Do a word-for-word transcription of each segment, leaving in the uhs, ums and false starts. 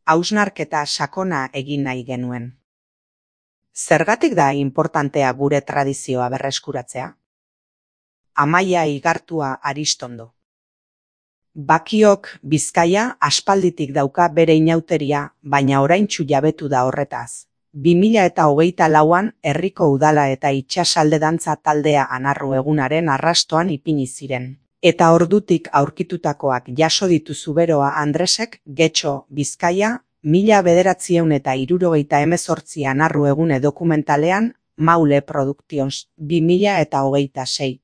hausnarketa sakona egin nahi genuen. Zergatik da inportantea gure tradizioa berreskuratzea? Amaia Igartua Aristondo. Bakiok Bizkaia aspalditik dauka bere inauteria, baina oraintsu jabetu da horretaz. bi mila eta hogeita lauan herriko udala eta itsasalde dantza taldea Anarru egunaren arrastoan ipini ziren. Eta ordutik aurkitutakoak jaso ditu Zuberoa Andresek Getxo, Bizkaia, mila bederatziehun eta hirurogeita hemezortzi Anarru egune dokumentalean Maule Productions, bi mila eta hogeita sei.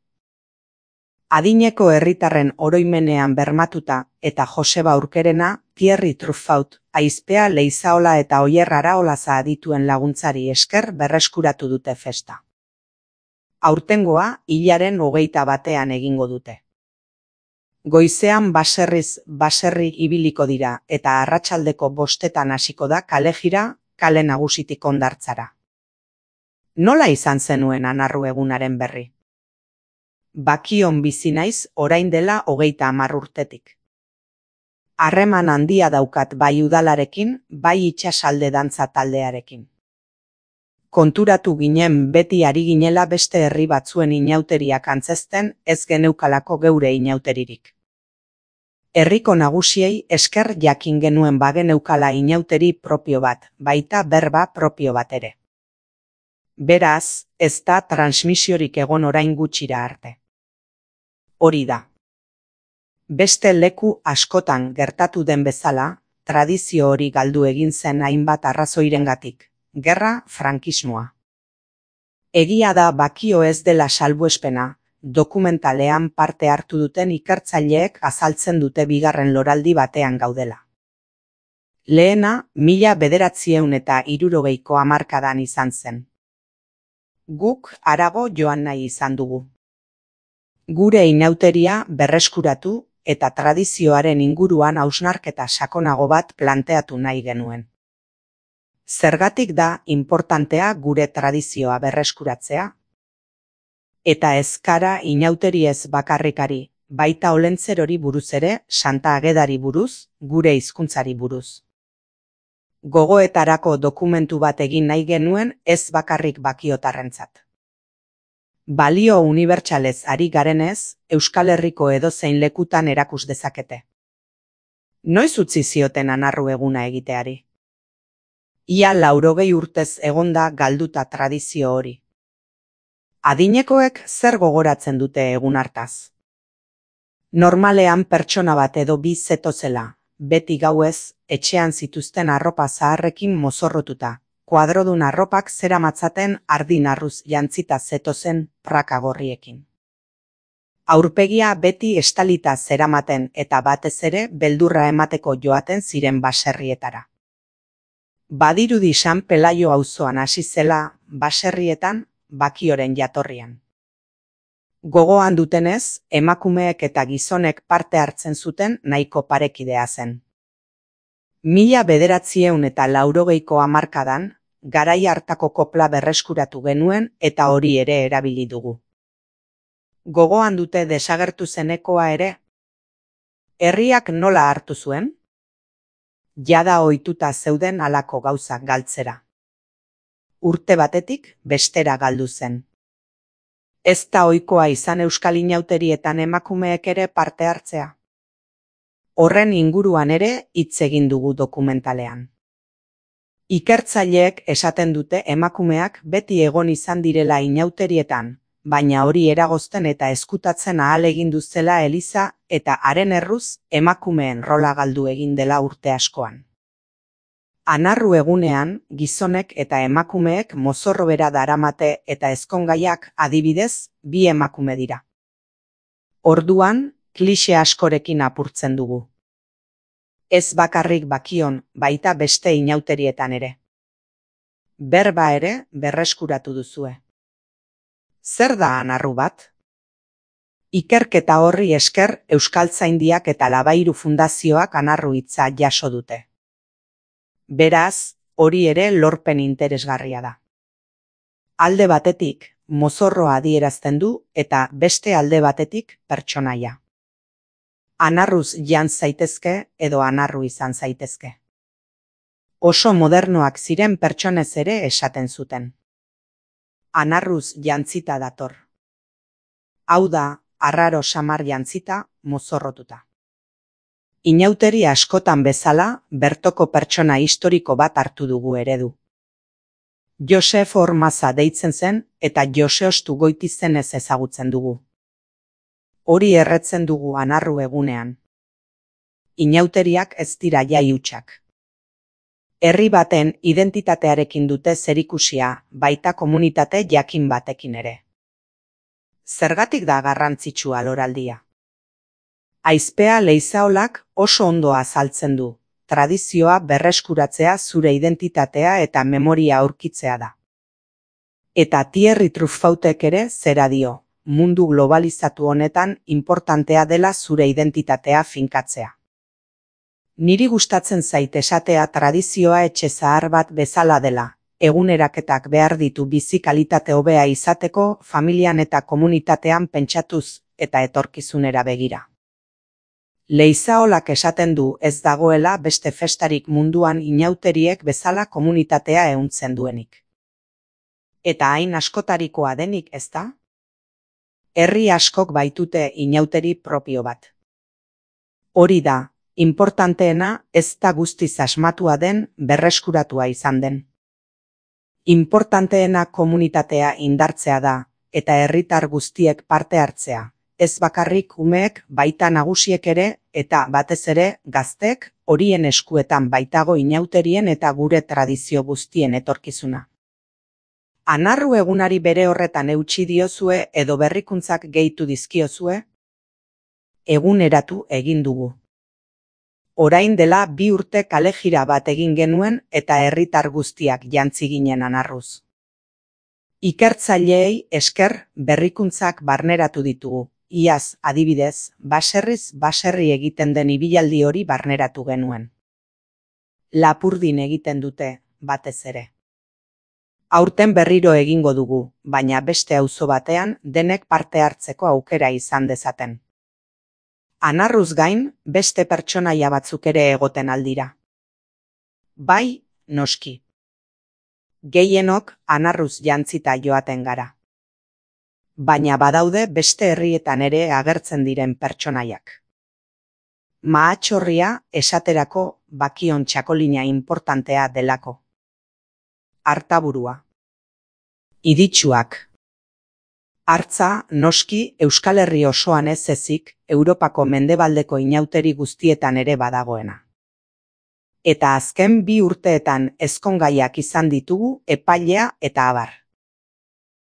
Adineko herritarren oroimenean bermatuta eta Joseba Urkerena, Thierry Truffaut, Aizpea Leizaola eta Oier Araolaza adituen laguntzari esker berreskuratu dute festa. Aurtengoa hilaren hogeita batean egingo dute. Goizean baserriz baserri ibiliko dira eta arratsaldeko bostetan hasiko da kalejira, kale nagusitik Hondartzara. Nola izan zenuen Anarru egunaren berri? Bakion bizi naiz orain dela hogeita hamar urtetik. Harreman handia daukat bai udalarekin, bai itsasalde dantza taldearekin. Konturatu ginen beti ari ginela beste herri batzuen inauteriak antzezten, ez geneukalako geure inauteririk. Herriko nagusiei esker jakin genuen bageneukala inauteri propio bat, baita berba propio bat ere. Beraz, ez da transmisiorik egon orain gutxira arte. Hori da. Beste leku askotan gertatu den bezala, tradizio hori galdu egin zen hainbat arrazoirengatik. Gerra, frankismoa. Egia da Bakio ez dela salbuespena, dokumentalean parte hartu duten ikertzaileek azaltzen dute bigarren loraldi batean gaudela. Lehena, mila bederatziehun eta hirurogeiko hamarkadan izan zen. Guk harago joan nahi izan dugu. Gure inauteria berreskuratu eta tradizioaren inguruan hausnarketa sakonago bat planteatu nahi genuen. Zergatik da inportantea gure tradizioa berreskuratzea? Eta ez gara inauteriez bakarrikari, baita Olentzerori buruz ere, Santa Agedari buruz, gure hizkuntzari buruz. Gogoetarako dokumentu bat egin nahi genuen ez bakarrik bakiotarrentzat. Balio unibertsalez ari garenez, Euskal Herriko edozein lekutan erakus dezakete. Noiz utzi zioten Anarru eguna egiteari? Ia laurogei urtez egonda galduta tradizio hori. Adinekoek zer gogoratzen dute egun hartaz? Normalean pertsona bat edo bi zetozela, beti gauez, etxean zituzten arropa zaharrekin mozorrotuta, kuadrodun arropak zeramatzaten ardin arruz jantzita zetozen praka gorriekin. Aurpegia beti estalita zeramaten eta batez ere beldurra emateko joaten ziren baserrietara. Badirudi San Pelaio auzoan hasi zela baserrietan Bakioren jatorrian. Gogoan dutenez, emakumeek eta gizonek parte hartzen zuten nahiko parekidea zen. Mila bederatziehun eta laurogeiko hamarkadan, garai hartako kopla berreskuratu genuen eta hori ere erabili dugu. Gogoan dute desagertu zenekoa ere? Herriak nola hartu zuen? Jada ohituta zeuden halako gauzak galtzera. Urte batetik bestera galdu zen. Ez da ohikoa izan euskal inauterietan emakumeek ere parte hartzea. Horren inguruan ere hitz egin dugu dokumentalean. Ikertzaileek esaten dute emakumeak beti egon izan direla inauterietan, baina hori eragozten eta eskutatzen ahal egin duzela eliza eta haren erruz emakumeen rola galdu egin dela urte askoan. Anarru egunean, gizonek eta emakumeek mozorro bera daramate eta ezkongaiak adibidez bi emakume dira. Orduan, klixe askorekin apurtzen dugu. Ez bakarrik Bakion, baita beste inauterietan ere. Berba ere berreskuratu duzue. Zer da Anarru bat? Ikerketa horri esker Euskaltzaindiak eta Labairu Fundazioak Anarru hitza jaso dute. Beraz, hori ere lorpen interesgarria da. Alde batetik, mozorroa adierazten du eta beste alde batetik pertsonaia. Anarruz jan zaitezke edo anarru izan zaitezke. Oso modernoak ziren pertsonez ere esaten zuten. Anarruz jantzita dator. Hau da, arraro samar jantzita, mozorrotuta. Inauteri askotan bezala, bertoko pertsona historiko bat hartu dugu eredu. Josef Ormaza deitzen zen eta Joseostu Goitizenez ezagutzen dugu. Hori erretzen dugu anarru egunean. Inauteriak ez dira jai hutsak. Herri baten identitatearekin dute zerikusia, baita komunitate jakin batekin ere. Zergatik da garrantzitsua loraldia? Aizpea Leizaolak oso ondo azaltzen du. Tradizioa berreskuratzea zure identitatea eta memoria aurkitzea da. Eta Thierry Truffautek ere zera dio, mundu globalizatu honetan inportantea dela zure identitatea finkatzea. Niri gustatzen zait esatea tradizioa etxe zahar bat bezala dela, eguneraketak behar ditu bizi kalitate hobea izateko familian eta komunitatean pentsatuz eta etorkizunera begira. Leizaolak esaten du ez dagoela beste festarik munduan inauteriek bezala komunitatea ehuntzen duenik. Eta hain askotarikoa denik, ezta? Herri askok baitute inauteri propio bat. Hori da, inportanteena ez da guztiz asmatua den berreskuratua izan den. Inportanteena komunitatea indartzea da, eta herritar guztiek parte hartzea. Ez bakarrik umeek baita nagusiek ere eta batez ere gaztek horien eskuetan baitago inauterien eta gure tradizio guztien etorkizuna. Anarru egunari bere horretan eutsi diozue edo berrikuntzak gehitu dizkiozue? Eguneratu egin dugu. Orain dela bi urte kalejira bat egin genuen eta herritar guztiak jantzi ginen anarruz. Ikertzaileei esker berrikuntzak barneratu ditugu. Iaz, adibidez, baserriz baserri egiten den ibilaldi hori barneratu genuen. Lapurdin egiten dute, batez ere. Aurten berriro egingo dugu, baina beste auzo batean denek parte hartzeko aukera izan dezaten. Anarruz gain, beste pertsonaia batzuk ere egoten aldira. Bai, noski. Gehienok anarruz jantzita joaten gara. Baina badaude beste herrietan ere agertzen diren pertsonaiak. Mahatxorria esaterako bakion txakolina inportantea delako. Artaburua. Iditsuak. Hartza, noski, Euskal Herri osoan ez ezik, Europako mendebaldeko inauteri guztietan ere badagoena. Eta azken bi urteetan ezkongaiak izan ditugu epailea eta abar.